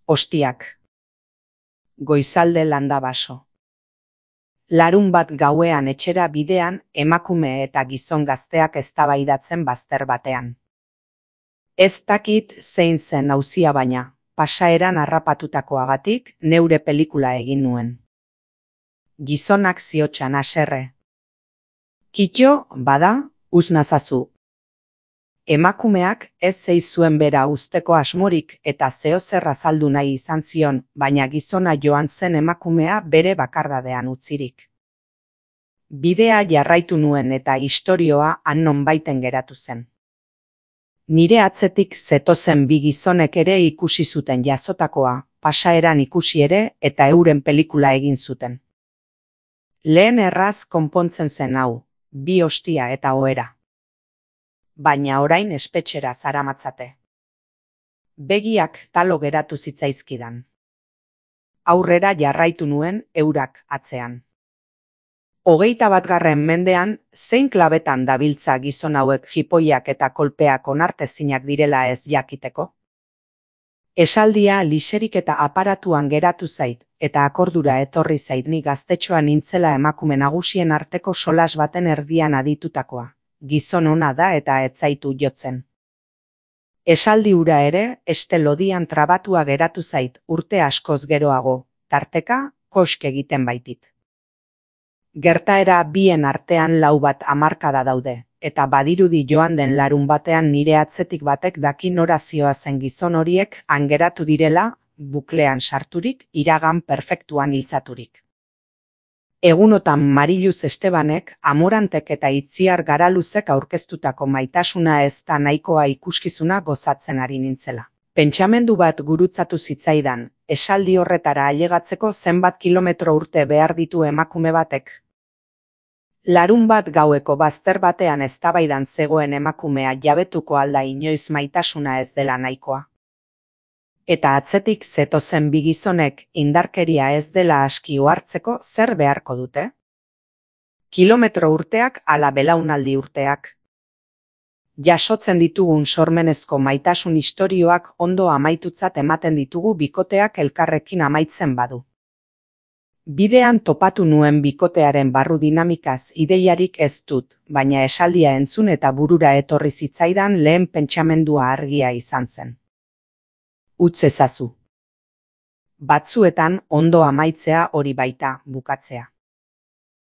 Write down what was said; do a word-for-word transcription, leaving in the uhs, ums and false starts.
Ostiak. Goizalde Landabaso. Larun bat gauean etxera bidean emakume eta gizon gazteak eztabaidatzen bazter batean. Ez dakit zein zen auzia baina, pasaeran harrapatutakoagatik neure pelikula egin nuen. Gizonak ziotxan haserre. Kitxo, bada, uz nazazu. Emakumeak ez zeizuen bera uzteko asmorik eta zeozer azaldu nahi izan zion, baina gizona joan zen emakumea bere bakardadean utzirik. Bidea jarraitu nuen eta istorioa han nonbaiten geratu zen. Nire atzetik zetozen bi gizonek ere ikusi zuten jazotakoa, pasaeran ikusi ere eta euren pelikula egin zuten. Lehen erraz konpontzen zen hau, bi ostia eta ohera. Baina orain espetxera zaramatzate. Begiak talo geratu zitzaizkidan. Aurrera jarraitu nuen eurak atzean. Hogeita batgarren mendean, zein klabetan dabiltza gizon hauek jipoiak eta kolpeak onartezinak direla ez jakiteko? Esaldia liserik eta aparatuan geratu zait, eta akordura etorri zait ni gaztetxoa nintzela emakume nagusien arteko solas baten erdian aditutakoa. Gizon ona da eta ez zaitu jotzen. Esaldi hura ere, este lodian trabatua geratu zait urte askoz geroago, tarteka kosk egiten baitit. Gertaera bien artean lau bat hamarkada daude, eta badirudi joan den larun batean nire atzetik batek daki nora zihoazen gizon horiek han geratu direla, buklean sarturik, iragan perfektuan hiltzaturik. Egunotan Mariluz Estebanek, Amorantek eta Itziar Garaluzek aurkeztutako maitasuna ez da nahikoa ikuskizuna gozatzen ari nintzela. Pentsamendu bat gurutzatu zitzaidan, esaldi horretara ailegatzeko zenbat kilometro urte behar ditu emakume batek. Larun bat gaueko bazter batean eztabaidan zegoen emakumea jabetuko alda inoiz maitasuna ez dela nahikoa. Eta atzetik zetozen bi gizonek indarkeria ez dela aski ohartzeko zer beharko dute? Kilometro urteak ala belaunaldi urteak. Jasotzen ditugun sormenezko maitasun istorioak ondo amaitutzat ematen ditugu bikoteak elkarrekin amaitzen badu. Bidean topatu nuen bikotearen barru dinamikaz ideiarik ez dut, baina esaldia entzun eta burura etorri zitzaidan lehen pentsamendua argia izan zen. Utz ezazu. Batzuetan ondo amaitzea hori baita bukatzea.